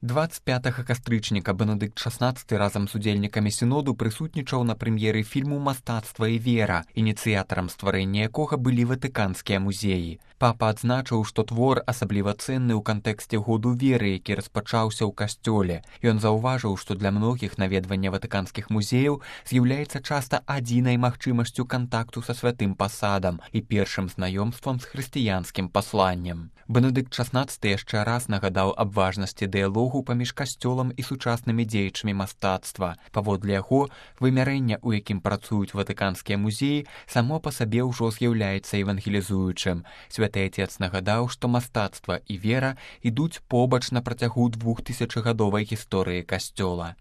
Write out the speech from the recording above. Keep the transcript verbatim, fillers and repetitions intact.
двадцать пятага кастрычніка Бенедыкт шаснаццаты разам з удзельнікамі сіноду прысутнічаў на прэм'еры фільму «Мастацтва і вера», ініцыятарам стварэння якога былі ватыканскія музеі. Папа адзначыў, што твор асабліва цэнны ў кантэксце году веры, які распачаўся ў касцёле. Ён заўважыў, што для многіх наведванне ватыканскіх музеяў з'яўляецца часта адзінай магчымасцю кантакту са святым пасадам і першым знаёмствам з хрысціянскім пасланнем. Бенедыкт шаснаццаты яшчэ раз нагадаў аб важнасці дыялогу паміж касцёлам і сучаснымі дзеячамі мастацтва. Паводле яго, вымярэнне, у якім працуюць ватыканскія музеі, само па сабе ўжо з'яўляецца евангелізуючым. Святы Отец нагадаў, што мастацтва і вера ідуць побач на працягу двухтысячагадовай гісторыі касцёла.